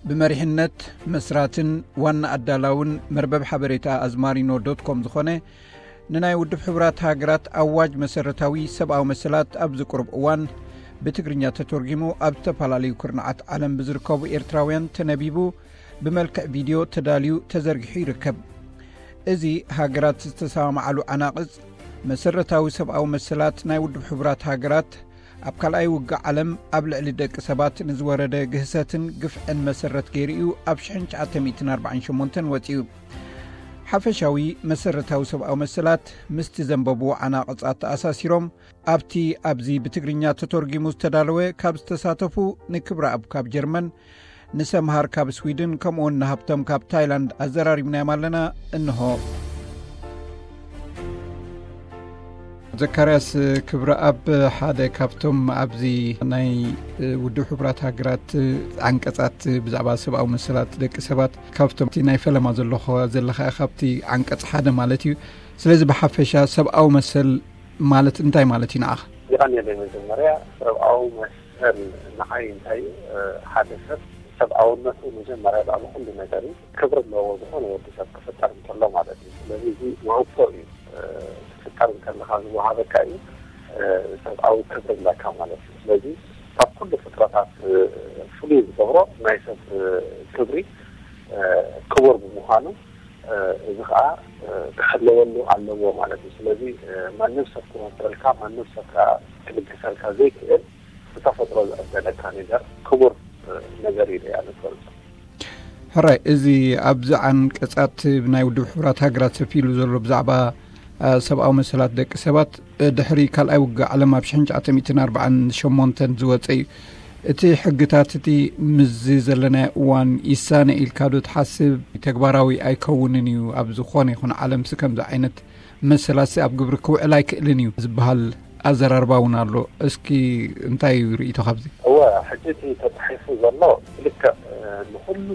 ብመሪሕነት መስራትን ዋና ኣዳላውን መርበብ ሓበሬታ ኣዝማሪኖ ዶት ኮም ዝኾነ ንናይ ውድብ ሕቡራት ሃገራት ኣዋጅ መሰረታዊ ሰብኣዊ መሰላት ኣብዚ ቁሩብ እዋን ብትግርኛ ተተርጒሙ ኣብ ዝተፈላለዩ ኩርናዓት ዓለም ብዝርከቡ ኤርትራውያን ተነቢቡ ብመልክዕ ቪድዮ ተዳልዩ ተዘርጊሑ ይርከብ። እዚ ሃገራት ዝተሰማምዓሉ ዓናቕጽ መሰረታዊ ሰብኣዊ መሰላት ናይ ውድብ ሕቡራት ሃገራት ኣብ ካልኣይ ውግእ ዓለም ኣብ ልዕሊ ደቂ ሰባት ንዝወረደ ግህሰትን ግፍዕን መሰረት ገይሩ እዩ ኣብ ሽሕን ትሽዓተ ሚእትን ኣርባዓን ሸሞንተን ወጺኡ። ሓፈሻዊ መሰረታዊ ሰብኣዊ መሰላት ምስቲ ዘንበብዎ ዓናቕጻት ተኣሳሲሮም ኣብቲ ኣብዚ ብትግርኛ ተተርጒሙ ዝተዳለወ ካብ ዝተሳተፉ ንክብረኣብ ካብ ጀርመን፣ ንሰምሃር ካብ ስዊድን ከምኡውን ንሃብቶም ካብ ታይላንድ ኣዘራሪብናዮም ኣለና። እንሆ። ዘካርያስ ክብረኣብ ሓደ ካብቶም ኣብዚ ናይ ውድብ ሕቡራት ሃገራት ዓንቀጻት ብዛዕባ ሰብኣዊ መሰላት ደቂ ሰባት ካብቶም እቲ ናይ ፈለማ ዘለኹ ዘለኻ ኢኻ ኣብቲ ዓንቀጽ ሓደ ማለት እዩ። ስለዚ ብሓፈሻ ሰብኣዊ መሰል ማለት እንታይ ማለት እዩ ንዓኻ? የቐንየለይ። መጀመርያ ሰብኣዊ መሰል ንዓይ እንታይ እዩ? ሓደ ሰብ ሰብኣውነቱ መጀመርያ ልዕሊ ኩሉ ነገር እዩ። ክብሪ ኣለዎ ዝኾነ ወዲ ሰብ ክፍጠር እንከሎ ማለት እዩ። ስለዚ እዚ ውህብቶ እዩ። ክፍጠር እንከለኻ ዝወሃበካ እዩ ሰብኣዊ ክብሪ ኣለካ ማለት እዩ። ስለዚ ካብ ኩሉ ፍጥረታት ፍሉይ ዝገብሮ ናይ ሰብ ክብሪ ክቡር ብምዃኑ እዚ ከዓ ክሕለወሉ ኣለዎ ማለት እዩ። ስለዚ ማንም ሰብ ክወደልካ፣ ማንም ሰብ ከዓ ክልግሰልካ ዘይክእል ብተፈጥሮ ዝዕደለካ ነገር ክቡር ነገር እዩ ኢለ እያ ዝገልጾ። ሕራይ፣ እዚ ኣብዚ ዓንቀጻት ናይ ውድብ ሕቡራት ሃገራት ሰፊሩ ዘሎ ብዛዕባ ሰብኣዊ መሰላት ደቂ ሰባት ድሕሪ ካልኣይ ውግእ ዓለም ኣብ ሽሕን ትሽዓተ ሚእትን ኣርባዓን ሸሞንተን ዝወጸ እዩ። እቲ ሕግታት እቲ ምስዚ ዘለናዮ እዋን ይሳነ ኢልካ ዶ ትሓስብ? ተግባራዊ ኣይከውንን እዩ። ኣብ ዝኾነ ይኹን ዓለምሲ ከምዚ ዓይነት መሰላሲ ኣብ ግብሪ ክውዕል ኣይክእልን እዩ ዝበሃል ኣዘራርባ እውን ኣሎ። እስኪ እንታይ እዩ ርእይቶ ካብዚ? እወ፣ ሕጂ እቲ ተጻሒፉ ዘሎ ልክዕ ንኹሉ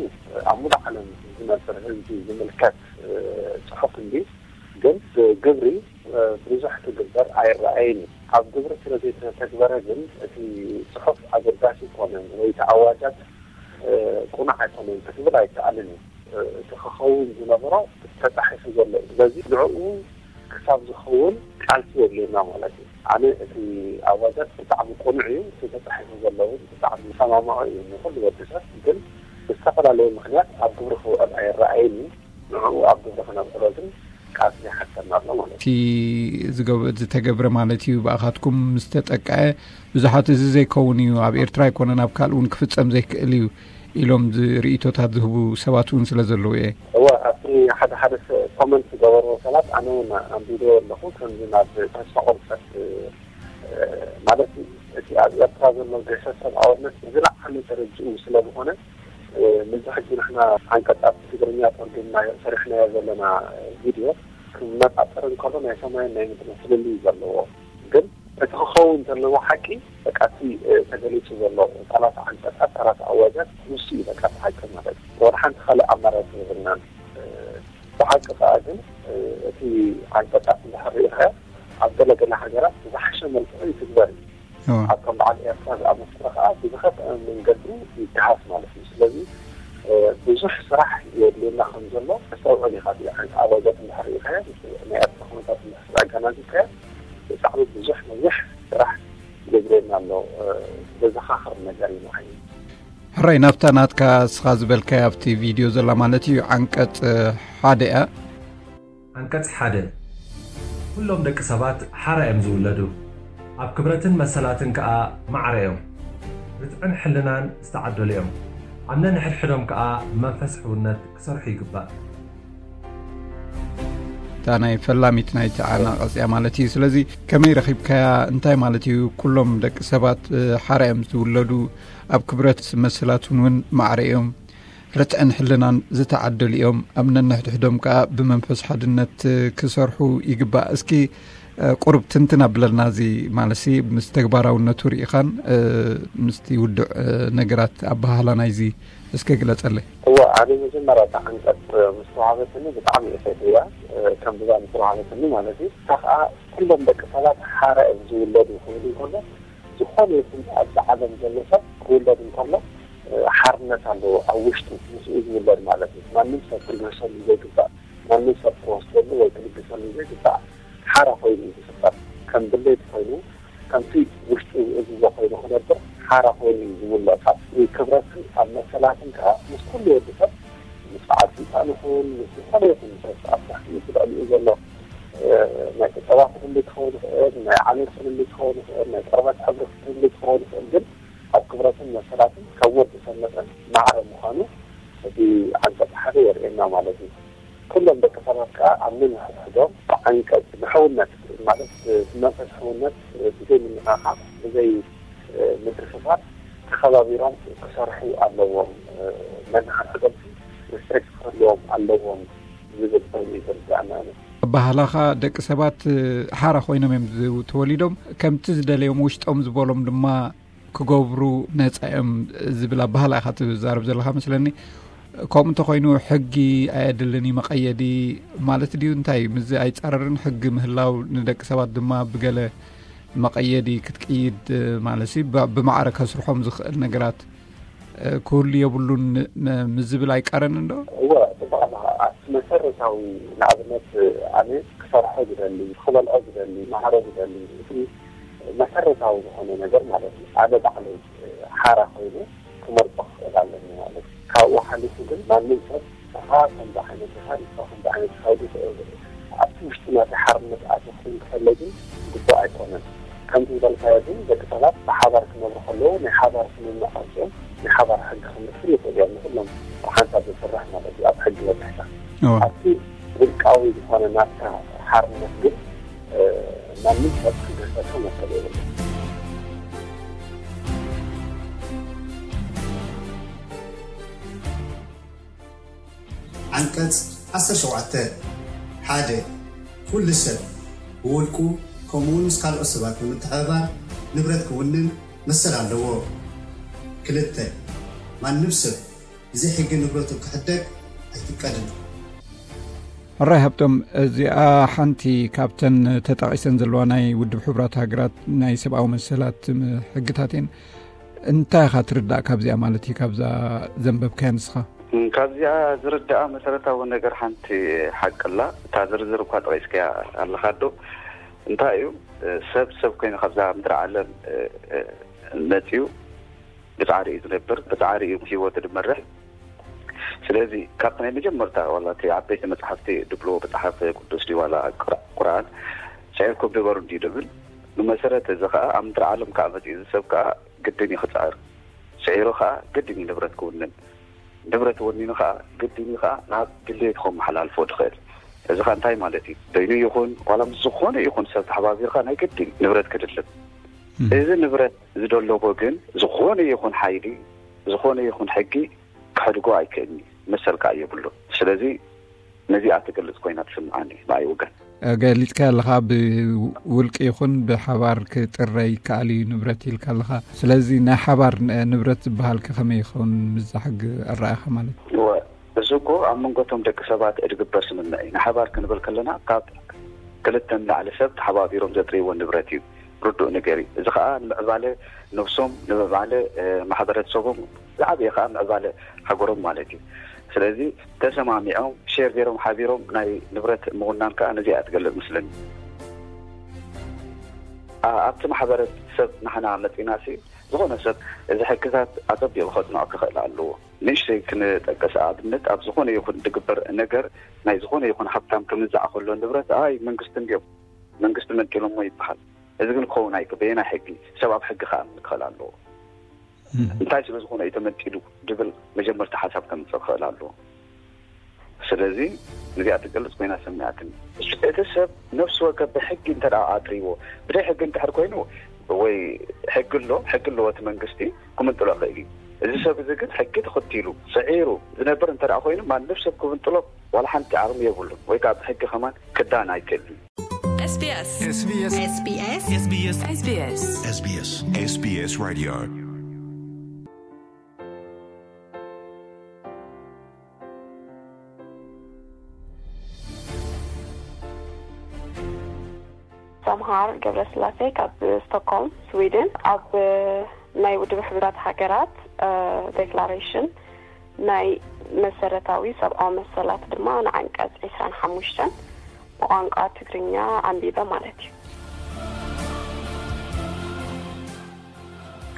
ኣብ ሙሉእ ዓለም ዝነብር ህዝቢ ዝምልከት ጽሑፍ እንዲ፣ ግን ግብሪ ብዙሕ ትግበር ኣይረኣይን እዩ። ኣብ ግብሪ ስለ ዘይተተግበረ ግን እቲ ጽሑፍ ኣገዳሲ ኣይኮነን ወይ እቲ ኣዋጃት ቁኑዕ ኣይኮነን ክትብል ኣይከኣልን እዩ። እቲ ክኸውን ዝነበሮ ተጻሒፉ ዘሎ እዩ። ስለዚ ንዕኡ ክሳብ ዝኸውን ቃልሲ የድልየና ማለት እዩ። ኣነ እቲ ኣዋጃት ብጣዕሚ ቁኑዕ እዩ፣ እቲ ተጻሒፉ ዘሎ እውን ብጣዕሚ ዝሰማምዖ እዩ ንኹሉ ወዲ ሰብ። ግን ብዝተፈላለየ ምኽንያት ኣብ ግብሪ ክውዕል ኣይረኣይን እዩ። ንዕኡ ኣብ ግብሪ ክነውዕሎ ግን ቃልሲ ይሓተና ኣሎ ማለት እዩ። እቲ ዝገብ-፣ ዝተገብረ ማለት እዩ ብኣኻትኩም ምስ ተጠቅዐ ብዙሓት እዚ ዘይከውን እዩ፣ ኣብ ኤርትራ ኣይኮነን ኣብ ካልእ እውን ክፍጸም ዘይክእል እዩ ኢሎም ዝ-፣ ርእይቶታት ዝህቡ ሰባት እውን ስለ ዘለዉ እየ። እወ፣ ኣብቲ ሓደ ሓደ ሰ-፣ ኮመንት ዝገበርዎ ሰባት ኣነ እውን ኣንቢበዮ ኣለኹ። ከምዚ ናብ ተስፋ ቁርጸት፣ እ፣ ማለት እቲ ኣብ ኤርትራ ዘሎ ግህሰት ሰብኣውነት ዝለዓለ ደረጅኡ ስለ ዝኾነ፣ እ፣ ምዚ ሕጂ ንሕና ዓንቀጻት ትግርኛ ተርጉምና ሰሪሕናዮ ዘለና ቪድዮ ክመጻጸር እንከሎ ናይ ሰማይን ናይ ምድርን ፍልልይ ዘለዎ። ግን እቲ ክኸውን ዘለዎ ሓቂ በቃ እቲ፣ እ፣ ተገሊጹ ዘሎ ሰላሳ ዓንቀጻት፣ ሰላሳ ኣዋጃት ንሱ እዩ በቃ እቲ ሓቂ ማለት እዩ። ወላ ሓንቲ ካልእ ኣማራጺ የብልናን። እ፣ ብሓቂ ከኣ ግን፣ እ፣ እቲ ዓንቀጻት እንድሕር ርኢኻዮ ኣብ ገለ ገለ ሃገራት ብዝሓሸ መልክዑ ይትግበር እዩ። እዎ። ኣብ ከም በዓል ኤርትራ ዝኣመሰለ ከኣ ብዝኸፍአ መንገዲ ይገሃስ ማለት እዩ። ስለዚ፣ እ፣ ብዙሕ ስራሕ የድልየና ከም ዘሎ ተስተውዕል ኢኻ። እቲ ዓንቀ-፣ ኣዋጃት እንድሕር ርኢኻዮ፣ ምስ ናይ ኤርትራ ኩነታት እንድሕር ኣገናዚብካዮ፣ ብጣዕሚ ብዙሕ ነዊሕ ስራሕ የድልየና ኣሎ። እ፣ ዘዘኻኽር ነገር እዩ ንዓይ። ሕራይ፣ ናብታ ናትካ እስኻ ዝበልካያ ኣብቲ ቪድዮ ዘላ ማለት እዩ፣ ዓንቀጽ ሓደ እያ። ዓንቀጽ ሓደ፣ ኩሎም ደቂ ሰባት ሓራ እዮም ዝውለዱ። ኣብ ክብረትን መሰላትን ከኣ ማዕረ እዮም። ርትዕን ሕልናን ዝተዓደሉ እዮም። ኣብ ነንሕድሕዶም ከኣ መንፈስ ሕውነት ክሰርሑ ይግባእ። እታ ናይ ፈላሚት ናይቲ ዓናቐጽ እያ ማለት እዩ። ስለዚ ከመይ ረኺብካያ? እንታይ ማለት እዩ? ኩሎም ደቂ ሰባት፣ እ፣ ሓራ እዮም ዝውለዱ። ኣብ ክብረት መሰላትን እውን ማዕረ እዮም። ርትዕን ሕልናን ዝተዓደሉ እዮም። ኣብ ነንሕድሕዶም ከኣ ብመንፈስ ሓድነት ክሰርሑ ይግባእ። እስኪ፣ እ፣ ቁሩብ ትንትን ኣብለልና፣ እዚ ማለትሲ ምስ ተግባራውነቱ ርኢኻን፣ እ፣ ምስቲ ውዱዕ፣ እ፣ ነገራት ኣበሃህላ ናይዚ እስከ ግለጸለይ። እወ፣ ኣነ መጀመርያ እታ ዓንቀጽ ምስ ተዋህበትኒ ብጣዕሚ እየ ፈትየያ። እ፣ ከንብባ ምስ ተዋህበትኒ ማለት እዩ። እታ ከኣ ኩሎም ደቂ ሰባት ሓራ እዮም ዝውለዱ ክብል እንከሎ፣ ዝኾነ ይኹን ኣብዚ ዓለም ዘሎ ሰብ ክውለድ እንከሎ ሓርነት ኣለዎ ኣብ ውሽጡ ምስኡ ዝውለድ ማለት እዩ። ማንም ሰብ ክልገሰሉ ዘይግባእ፣ ማንም ሰብ ክወስደሉ ወይ ክልግሰሉ ዘይግባእ ሓራ ኮይኑ እዩ ዝፍጠር። ከም ድሌት ኮይኑ ከምቲ ውሽጡ ዝእዝዞ ኮይኑ ክነብር ሓራ ኮይኑ እዩ ዝውለድ። ኣብ ክብረትን ኣብ መሰላትን ከዓ ምስ ኩሉ ወዲ ሰብ ምስ በዓል ስልጣን ይኹን ምስ ዝኾነ ይኹን ሰብ ኣብ ትሕቲ እቲ ልዕሊኡ ዘሎ ናይ ቁጠባ ፍልልይ ክኸውን ይኽእል፣ ናይ ዓሌት ፍልልይ ክኸውን ይኽእል፣ ናይ ቆርበት ሕብሪ ፍልልይ ክኸውን ይኽእል፣ ግን ኣብ ክብረትን መሰላትን ከም ወዲ ሰብ መጠን ማዕረ ምዃኑ እቲ ዓንቀፅ ሓደ የርእየና ማለት እዩ። ኩሎም ደቂ ሰባት ከዓ ኣብ ነንሕድሕዶም ብዓንቀፅ ብሕውነት ማለት ብመንፈስ ሕውነት ብዘይ ምንኻኻዕ ብዘይ ምትፍፋር ተኸባቢሮም ክሰርሑ ኣለዎም። ነንሓድሕዶም ሪስፔክት ክህልዎም ኣለዎም ዝብል ኮይኑ እዩ ዝርዳእና። ኣበሃህላኻ ደቂ ሰባት ሓራ ኮይኖም እዮም ተወሊዶም፣ ከምቲ ዝደለዮም ውሽጦም ዝበሎም ድማ ክገብሩ ነፃ እዮም ዝብል ኣበሃህላ ኢኻ ትዛረብ ዘለኻ መስለኒ። ከምኡ እንተኮይኑ ሕጊ ኣየድልን እዩ መቐየዲ ማለት ድዩ? እንታይ ምስዚ ኣይፃረርን? ሕጊ ምህላው ንደቂ ሰባት ድማ ብገለ መቐየዲ ክትቅይድ ማለት ሲ ብማዕረ ከስርሖም ዝኽእል ነገራት ክህሉ የብሉን ምስ ዝብል ኣይቀረን እንዶ? እወ፣ ጽቡቕ ኣለኻ። ኣብቲ መሰረታዊ ንኣብነት ኣነ ክሰርሖ ዝደሊ፣ ክበልዖ ዝደሊ፣ ማዕሮ ዝደሊ፣ እቲ መሰረታዊ ዝኾነ ነገር ማለት እዩ። ኣነ ባዕለይ ሓራ ኮይኑ ክመርጾ ክኽእል ኣለኒ ማለት እዩ። ካብኡ ሓሊፉ ግን ማንም ሰብ ንኻ ከምዚ ዓይነት ኢኻ፣ ንስኻ ከምዚ ዓይነት ኢኻ ኢሉ ኣብቲ ውሽጢ ናተይ ሓርነት ኣትዩ ክኸውን ከሎ ግን ግቡእ ኣይኮነን። ከምቲ ዝበልካዮ ግን ደቂ ሰባት ብሓባር ክነብሩ ከለዉ ናይ ሓባር ስምምዕ ኣውጺኦም ናይ ሓባር ሕጊ ክመስል ይኽእሉ እዮም። ንኹሎም ብሓንሳብ ዝስራሕ ማለት እዩ ኣብ ሕጊ መብርህታ። ኣብቲ ውልቃዊ ዝኾነ ናትካ ሓርነት ግን ማንም ሰብ ክገሰሶ መሰል የብሉን። ዓንቀጽ ዓሰርተ ሸውዓተ ሓደ ኩሉ ሰብ ብውልቁ ከምኡውን ምስ ካልኦት ሰባት ብምትሕብባር ንብረት ክውንን መሰል ኣለዎ። ክልተ ማንም ሰብ ብዘይ ሕጊ ንብረቱ ክሕደግ ኣይፍቀድን። ሕራይ ሃብቶም፣ እዚኣ ሓንቲ ካብተን ተጠቒሰን ዘለዋ ናይ ውድብ ሕቡራት ሃገራት ናይ ሰብኣዊ መሰላት ሕግታት እየን። እንታይ ኢኻ ትርዳእ ካብዚኣ ማለት እዩ፣ ካብዛ ዘንበብካያ ንስኻ? ካብዚኣ ዝርዳኣ መሰረታዊ ነገር ሓንቲ ሓቂ ኣላ። እታ ዝርዝር እኳ ጠቒስካያ ኣለኻ ዶ? እንታይ እዩ ሰብ ሰብ ኮይኑ ካብዛ ምድሪ ዓለም መፅዩ ብፃዕሪ እዩ ዝነብር፣ ብፃዕሪ እዩ ህይወቱ ዝመርሕ። ስለዚ ካብቲ ናይ መጀመርታ ዋላ እቲ ዓበይቲ መፅሓፍቲ ድብልዎ መፅሓፍ ቅዱስ ድዩ ዋላ ቁርኣን ስዒርኩም ንበሩ እንድዩ ድብል። ብመሰረት እዚ ከዓ ኣብ ምድሪ ዓለም ከዓ መፅዩ እዚ ሰብ ከዓ ግድን እዩ ክፅዕር። ስዒሩ ከዓ ግድን እዩ ንብረት ክውንን። ንብረት ወኒኑ ከዓ ግድን እዩ ከዓ ናብ ድሌቱ ከመሓላልፎ ዝኽእል። እዚ ከዓ እንታይ ማለት እዩ? በይኑ ይኹን ዋላ ምስ ዝኾነ ይኹን ሰብ ተሓባቢርካ ናይ ግድን ንብረት ክድልብ። እዚ ንብረት ዝደለቦ ግን ዝኾነ ይኹን ሓይሊ ዝኾነ ይኹን ሕጊ ክሕድጎ ኣይክእልን እዩ። መሰል ከዓ የብሉን። ስለዚ ነዚኣ ትገልፅ ኮይና ትስምዓኒ ብኣይ ወገን። ገሊፅካያ ኣለኻ፣ ብውልቂ ይኹን ብሓባር ክጥረ ይከኣል እዩ ንብረት ኢልካ ኣለኻ። ስለዚ ናይ ሓባር ንብረት ዝበሃል ከ ከመይ ይኸውን ምስዛ ሕጊ ኣረኣእኻ ማለት እዩ? እወ፣ እዚ እኮ ኣብ መንጎ እቶም ደቂ ሰባት እድግበር ስምምዕ እዩ። ንሓባር ክንብል ከለና ካብ ክልተ ንላዕሊ ሰብ ተሓባቢሮም ዘጥርይዎ ንብረት እዩ። ርዱእ ነገር እዩ። እዚ ከዓ ንምዕባለ ነብሶም፣ ንምዕባለ ማሕበረተሰቦም፣ ዝዓበየ ከዓ ምዕባለ ሃገሮም ማለት እዩ። ስለዚ ተሰማሚዖም ሼር ገይሮም ሓቢሮም ናይ ንብረት ምውናን ከዓ ነዚኣ ትገልፅ መስለኒ። ኣብቲ ማሕበረሰብ ናሕና መፂና ሲ ዝኾነ ሰብ እዚ ሕግታት ኣፀቢቑ ከፅንዖ ክኽእል ኣለዎ። ንእሽተይ ክንጠቅስ ኣብነት ኣብ ዝኾነ ይኹን ዝግበር ነገር ናይ ዝኾነ ይኹን ሃብታም ክምዛዕ ከሎ ንብረት ኣይ መንግስቲ እንድዮም መንግስቲ መንጢሎሞ ይበሃል። እዚ ግን ክኸውን ኣይግበየን። ሕጊ ሰብ ኣብ ሕጊ ክኣምን ክኽእል ኣለዎ። እንታይ ስለ ዝኾነ እዩ ተመንጢሉ ዝብል መጀመርታ ሓሳብ ከምፅእ ክኽእል ኣለዎ። ስለዚ ነዚኣ ትገልፅ ኮይና ሰሚዓትኒ። እቲ ሰብ ነፍሲ ወከፍ ብሕጊ እንተ ኣጥርይዎ ብደይ ሕጊ እንድሕር ኮይኑ ወይ ሕጊ ኣሎ ሕጊ ኣለዎ እቲ መንግስቲ ክምንጥሎ ይኽእል እዩ። እዚ ሰብ እዚ ግን ሕጊ ተኸቲሉ ስዒሩ ዝነብር እንተ ኮይኑ ማንም ሰብ ክምንጥሎ ዋላ ሓንቲ ዓቕሚ የብሉን ወይ ከዓ ብሕጊ ከማን ክዳን ኣይክእልን። SBS SBS SBS SBS SBS SBS SBS Radio ሰምሃር ገብረስላሴ ካብ ስቶክሆልም ስዊድን። ኣብ ናይ ውድብ ሕቡራት ሃገራት ዴክላሬሽን ናይ መሰረታዊ ሰብኣዊ መሰላት ድማ ንዓንቀጽ ዕስራን ሓሙሽተን ብቋንቋ ትግርኛ ኣንቢበ ማለት እዩ።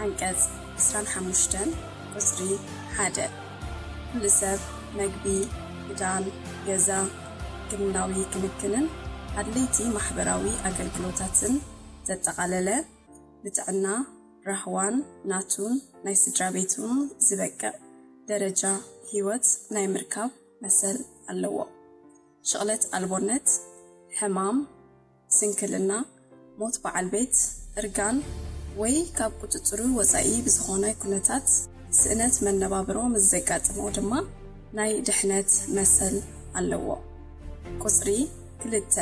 ዓንቀጽ ዕስራን ሓሙሽተን ቁጽሪ ሓደ፣ ኩሉ ሰብ መግቢ፣ ክዳን፣ ገዛ፣ ሕክምናዊ ክንክንን ኣድለይቲ ማሕበራዊ ኣገልግሎታትን ዘጠቓለለ፣ ብጥዕና፣ ራህዋን ናቱን ናይ ስድራ ቤቱን ዝበቅዕ ደረጃ ህይወት ናይ ምርካብ መሰል ኣለዎ። ሽቕለት ኣልቦነት፣ ሕማም፣ ስንክልና፣ ሞት በዓል ቤት፣ እርጋን ወይ ካብ ቁጽጽሩ ወጻኢ ብዝኾነ ኩነታት ስእነት መነባብሮ ምስ ዘጋጥሞ ድማ ናይ ድሕነት መሰል ኣለዎ። ቁጽሪ ክልተ፣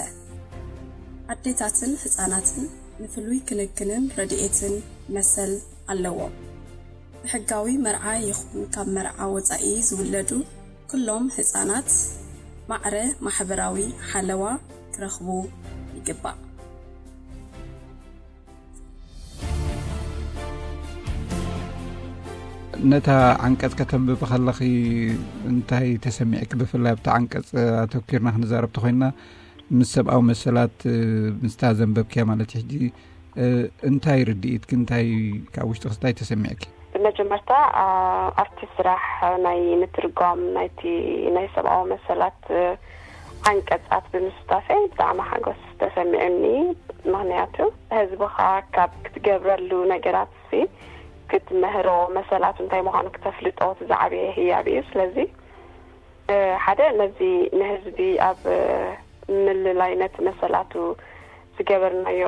ኣዴታትን ህጻናትን ንፍሉይ ክንክንን ረድኤትን መሰል ኣለዎም። ብሕጋዊ መርዓ ይኹን ካብ መርዓ ወጻኢ ዝውለዱ ኩሎም ህጻናት ማዕረ ማሕበራዊ ሓለዋ ክረኽቡ ይግባእ። ነታ ዓንቀጽ ከተንብቢ ከለኺ እንታይ ተሰሚዕኪ? ብፍላይ ኣብታ ዓንቀጽ ኣተኪርና ክንዛረብ ተኾይንና ምስ ሰብኣዊ መሰላት ምስታ ዘንበብክያ ማለት እዩ። ሕጂ እንታይ ርድኢትኪ እንታይ ካብ ውሽጥኺ እንታይ ተሰሚዕኪ? ብመጀመርታ ኣብቲ ስራሕ ናይ ምትርጓም ናይቲ ናይ ሰብኣዊ መሰላት ዓንቀጻት ብምስታፈይ ብጣዕሚ ሓጎስ ተሰሚዑኒ። ምክንያቱ ህዝብኻ ካብ ክትገብረሉ ነገራት ክትምህሮ መሰላት እንታይ ምዃኑ ክተፍልጦ እቲ ዝዓበየ ህያብ እዩ። ስለዚ ሓደ ነዚ ንህዝቢ ኣብ ምልላይ ነቲ መሰላቱ ዝገበርናዮ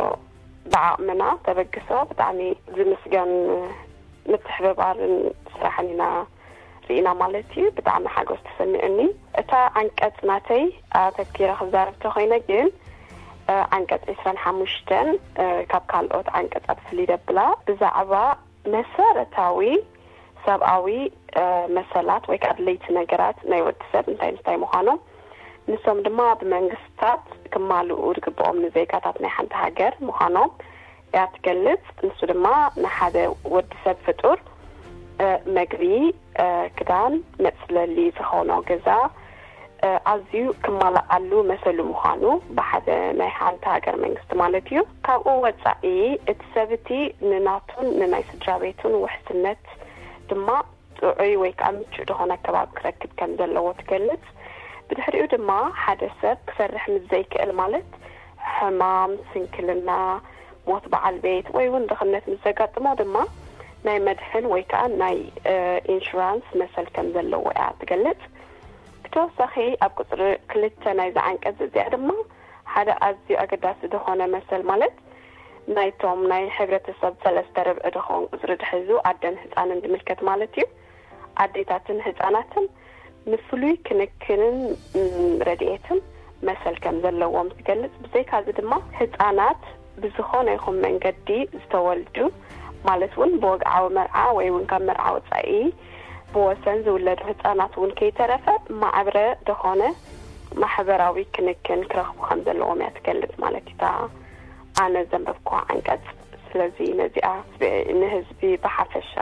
ብዓቕምና ተበግሶ ብጣዕሚ ዝምስገን ምትሕብባርን ስራሕን ኢና ርኢና ማለት እዩ። ብጣዕሚ ሓጎስ ተሰሚዑኒ። እታ ዓንቀጽ ናተይ ኣተኪረ ክዛረብ ተኾይነ ግን ዓንቀጽ ዕስራን ሓሙሽተን ካብ ካልኦት ዓንቀጻት ፍልይ ደብላ ብዛዕባ መሰረታዊ ሰብኣዊ መሰላት ወይ ከዓ ኣድለይቲ ነገራት ናይ ወዲ ሰብ እንታይ እንታይ ምዃኖም ንሶም ድማ ብመንግስታት ክማልኡ ዝግብኦም ንዜጋታት ናይ ሓንቲ ሃገር ምዃኖም እያ ትገልጽ። ንሱ ድማ ንሓደ ወዲ ሰብ ፍጡር መግቢ፣ ክዳን፣ መጽለሊ ዝኾኖ ገዛ ኣዝዩ ክማላኣሉ መሰሉ ምዃኑ ብሓደ ናይ ሓንቲ ሃገር መንግስቲ ማለት እዩ። ካብኡ ወፃኢ እቲ ሰብ እቲ ንናቱን ንናይ ስድራ ቤቱን ውሕስነት ድማ ጥዑይ ወይ ከዓ ምቹእ ዝኾነ ኣከባቢ ክረክብ ከም ዘለዎ ትገልጽ። ብድሕሪኡ ድማ ሓደ ሰብ ክሰርሕ ምስ ዘይክእል ማለት ሕማም፣ ስንክልና፣ ሞት በዓል ቤት ወይ እውን ድኽነት ምስ ዘጋጥሞ ድማ ናይ መድሕን ወይ ከዓ ናይ ኢንሹራንስ መሰል ከም ዘለዎ እያ ትገልጽ። ብተወሳኺ ኣብ ቁፅሪ ክልተ ናይዚ ዓንቀፅ እዚኣ ድማ ሓደ ኣዝዩ ኣገዳሲ ዝኾነ መሰል ማለት ናይቶም ናይ ሕብረተሰብ ሰለስተ ርብዒ ዝኾን ቁፅሪ ዝሕዙ ኣደን ህፃንን ዝምልከት ማለት እዩ። ኣዴታትን ህፃናትን ንፍሉይ ክንክንን ረድኤትን መሰል ከም ዘለዎም ትገልጽ። ብዘይካዚ ድማ ህፃናት ብዝኾነ ይኹን መንገዲ ዝተወልዱ ማለት እውን ብወግዓዊ መርዓ ወይ እውን ካብ መርዓ ወፃኢ ብወሰን ዝውለዱ ህፃናት እውን ከይተረፈ ማዕብረ ዝኾነ ማሕበራዊ ክንክን ክረኽቡ ከም ዘለዎም እያ ትገልጽ ማለት እታ ኣነ ዘንበብኳ ዓንቀጽ። ስለዚ ነዚኣ ንህዝቢ ብሓፈሻ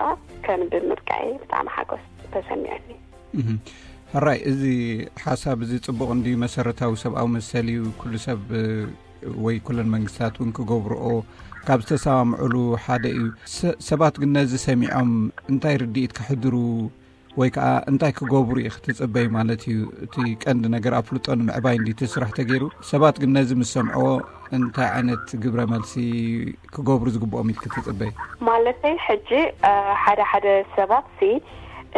ከንብብ ምብቃይ ብጣዕሚ ሓጎስ ተሰሚዑኒ። ሕራይ፣ እዚ ሓሳብ እዚ ጽቡቕ እንድዩ። መሰረታዊ ሰብኣዊ መሰል እዩ። ኩሉ ሰብ ወይ ኩለን መንግስታት እውን ክገብርኦ ካብ ዝተሰማምዑሉ ሓደ እዩ። ሰባት ግን ነዚ ሰሚዖም እንታይ ርድኢት ከሕድሩ ወይ ከዓ እንታይ ክገብሩ እዩ ክትጽበይ ማለት እዩ። እቲ ቀንዲ ነገር ኣፍልጦ ንምዕባይ እንዲ እቲ ስራሕ ተገይሩ። ሰባት ግን ነዚ ምስ ሰምዕዎ እንታይ ዓይነት ግብረ መልሲ ክገብሩ ዝግብኦም ኢልኪ ትጽበይ? ማለተይ ሕጂ ሓደ ሓደ ሰባት ሲ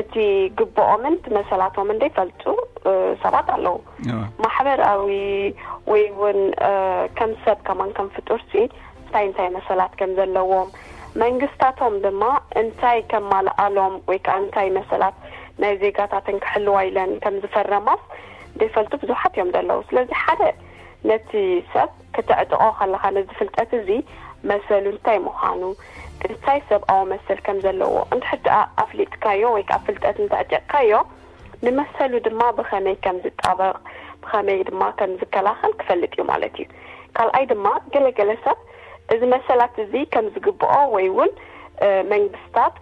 እቲ ግብኦምን እቲ መሰላቶምን ዘይፈልጡ ሰባት ኣለዉ። ማሕበራዊ ወይ እውን ከም ሰብ ከማን ከም ፍጡር ሲ እንታይ እንታይ መሰላት ከም ዘለዎም መንግስታቶም ድማ እንታይ ከማልኣሎም ወይ ከዓ እንታይ መሰላት ናይ ዜጋታትን ክሕልዋ ኢለን ከም ዝፈረማስ ዘይፈልጡ ብዙሓት እዮም ዘለዉ። ስለዚ ሓደ ነቲ ሰብ ከተዕጥቆ ከለኻ ነዚ ፍልጠት እዚ መሰሉ እንታይ ምዃኑ እንታይ ሰብኣዊ መሰል ከም ዘለዎ እንድሕር ደኣ ኣፍሊጥካዮ ወይ ከዓ ፍልጠት እንተዕጢቕካዮ ንመሰሉ ድማ ብኸመይ ከም ዝጣበቕ ብኸመይ ድማ ከም ዝከላኸል ክፈልጥ እዩ ማለት እዩ። ካልኣይ ድማ ገለገለ ሰብ እዚ መሰላት እዚ ከም ዝግብኦ ወይ እውን መንግስታት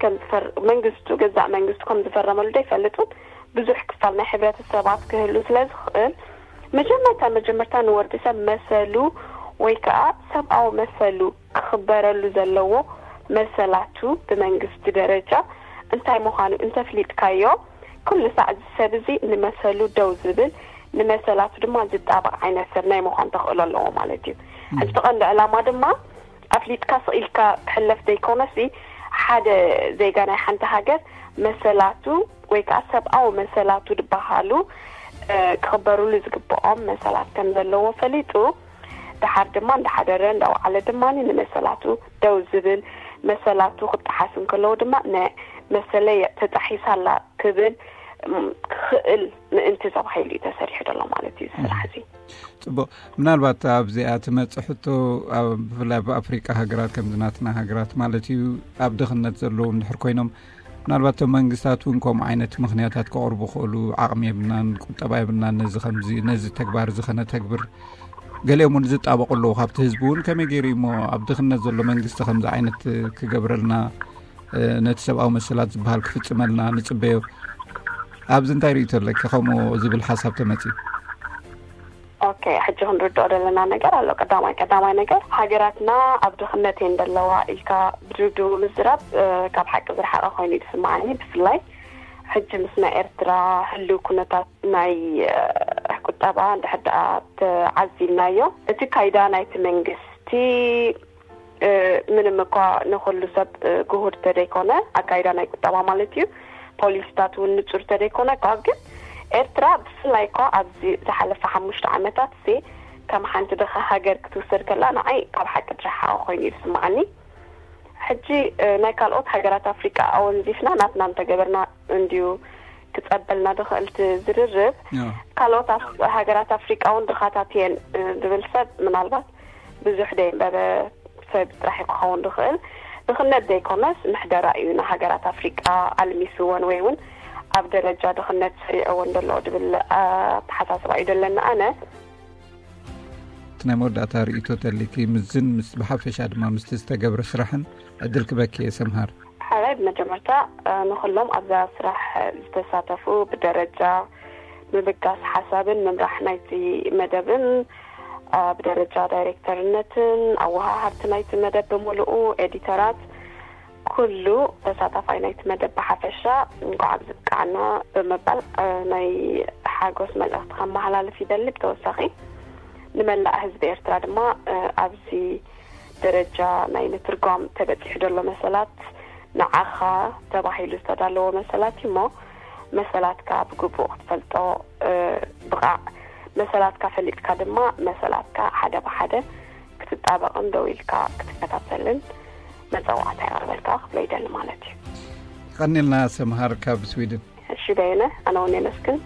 መንግስቱ ገዛእ መንግስቱ ከም ዝፈረመሉ ዶ ይፈልጥን ብዙሕ ክፋል ናይ ሕብረተሰባት ክህሉ ስለ ዝኽእል፣ መጀመርታ መጀመርታ ንወዲ ሰብ መሰሉ ወይ ከዓ ሰብኣዊ መሰሉ ክኽበረሉ ዘለዎ መሰላቱ ብመንግስቲ ደረጃ እንታይ ምዃኑ እንተፍሊጥካዮ፣ ኩሉ ሳዕ እዚ ሰብ እዚ ንመሰሉ ደው ዝብል፣ ንመሰላቱ ድማ ዝጣበቕ ዓይነት ሰብ ናይ ምዃን ተኽእሎ ኣለዎ ማለት እዩ። ሕዚ ቀንዲ ዕላማ ድማ ኣፍሊጥካ ስቕ ኢልካ ክሕለፍ ዘይኮነሲ፣ ሓደ ዜጋ ናይ ሓንቲ ሃገር መሰላቱ ወይ ከዓ ሰብኣዊ መሰላቱ ዝበሃሉ ክኽበሩሉ ዝግብኦም መሰላት ከም ዘለዎ ፈሊጡ፣ ድሓር ድማ እንዳሓደረ እንዳወዓለ ድማ ንመሰላቱ ደው ዝብል፣ መሰላቱ ክጠሓስ እንከለዎ ድማ ንመሰለይ ተጣሒሳ ኣላ ክብል ክኽእል ምእንቲ ተባሂሉ እዩ ተሰሪሑ ዘሎ ማለት እዩ። ስራሕ እዚ ፅቡቅ። ምናልባት ኣብዚኣ ትመፅእ ሕቶ፣ ብፍላይ ኣብ ኣፍሪቃ ሃገራት ከምዚ ናትና ሃገራት ማለት እዩ፣ ኣብ ድኽነት ዘለዉ እንድሕር ኮይኖም፣ ምናልባት እቶም መንግስታት እውን ከምኡ ዓይነት ምኽንያታት ከቕርቡ ክእሉ፣ ዓቕሚ የብልናን ቁጠባ የብልናን ነዚ ከምዚ ነዚ ተግባር እዚ ከነተግብር፣ ገሊኦም እውን ዝጣበቁ ኣለዉ ካብቲ ህዝቢ እውን። ከመይ ገይሩ እሞ ኣብ ድኽነት ዘሎ መንግስቲ ከምዚ ዓይነት ክገብረልና፣ ነቲ ሰብኣዊ መሰላት ዝበሃል ክፍፅመልና ንፅበዮ? ኣብዚ እንታይ ርእቶ ኣለኪ ከምኡ ዝብል ሓሳብ ተመፅዩ? ኦኬ፣ ሕጂ ክንርድኦ ዘለና ነገር ኣሎ። ቀዳማይ ቀዳማይ ነገር፣ ሃገራትና ኣብ ድኽነት እየን ዘለዋ ኢልካ ብድብድቡ ምዝራብ ካብ ሓቂ ዝረሓቐ ኮይኑ እዩ ዝስማዓኒ። ብፍላይ ሕጂ ምስ ናይ ኤርትራ ህልው ኩነታት ናይ ቁጠባ እንድሕር ደኣ ተዓዚብናዮ፣ እቲ ካይዳ ናይቲ መንግስቲ ምንም እኳ ንኹሉ ሰብ ግሁድ ተደይኮነ፣ ኣካይዳ ናይ ቁጠባ ማለት እዩ፣ ፖሊሲታት እውን ንጹር ተደይኮነ እኳ፣ ግን ኤርትራ ብፍላይ እኳ ኣብዚ ዝሓለፈ ሓሙሽተ ዓመታት ሲ ከም ሓንቲ ድኻ ሃገር ክትውሰድ ከላ ንዓይ ካብ ሓቂ ዝረሓቐ ኮይኑ እዩ ዝስምዓኒ። ሕጂ ናይ ካልኦት ሃገራት ኣፍሪቃ ኣወንዚፍና ናትና እንተገበርና እንድዩ ክጸበልና ዝኽእል እቲ ዝርርብ። ካልኦት ሃገራት ኣፍሪቃ እውን ድኻታት እየን ዝብል ሰብ ምናልባት ብዙሕ ደይንበበ ሰብ ጥራሕ ክኸውን ዝኽእል። ድኽነት ዘይኮነስ ምሕደራ እዩ ንሃገራት ኣፍሪቃ ኣልሚስወን ወይ እውን ኣብ ደረጃ ድኽነት ሰሪዕወን ዘሎ ዝብል ኣተሓሳስባ እዩ ዘለኒ ኣነ። እቲ ናይ መወዳእታ ርእይቶ ተሊኪ ምዝን ምስ ብሓፈሻ ድማ ምስቲ ዝተገብረ ስራሕን ዕድል ክበኪ እየ ሰምሃር። ሓራይ ብመጀመርታ ንኹሎም ኣብዛ ስራሕ ዝተሳተፉ ብደረጃ ምብጋስ ሓሳብን ምምራሕ ናይቲ መደብን ብደረጃ ዳይሬክተርነትን ኣወሃሃርቲ ናይቲ መደብ ብምሉኡ ኤዲተራት ኩሉ ተሳታፋይ ናይቲ መደብ ብሓፈሻ እንኳዕ ኣብዚ ብቃዕና ብምባል ናይ ሓጎስ መልእኽቲ ከመሓላልፍ ይደሊ። ብተወሳኺ ንመላእ ህዝቢ ኤርትራ ድማ ኣብዚ ደረጃ ናይ ምትርጓም ተበፂሑ ዘሎ መሰላት ንዓኻ ተባሂሉ ዝተዳለወ መሰላት እዩ እሞ መሰላትካ ብግቡእ ክትፈልጦ ብቓዕ። መሰላትካ ፈሊጥካ ድማ መሰላትካ ሓደ ብሓደ ክትጣበቕን ደው ኢልካ ክትከታተልን መፀዋዕታ የቕርበልካ ክብሎ ይደሊ ማለት እዩ። ቀኒልና ሰምሃር ካብ ስዊድን። እሺ በየነ፣ ኣነ እውን የመስግን።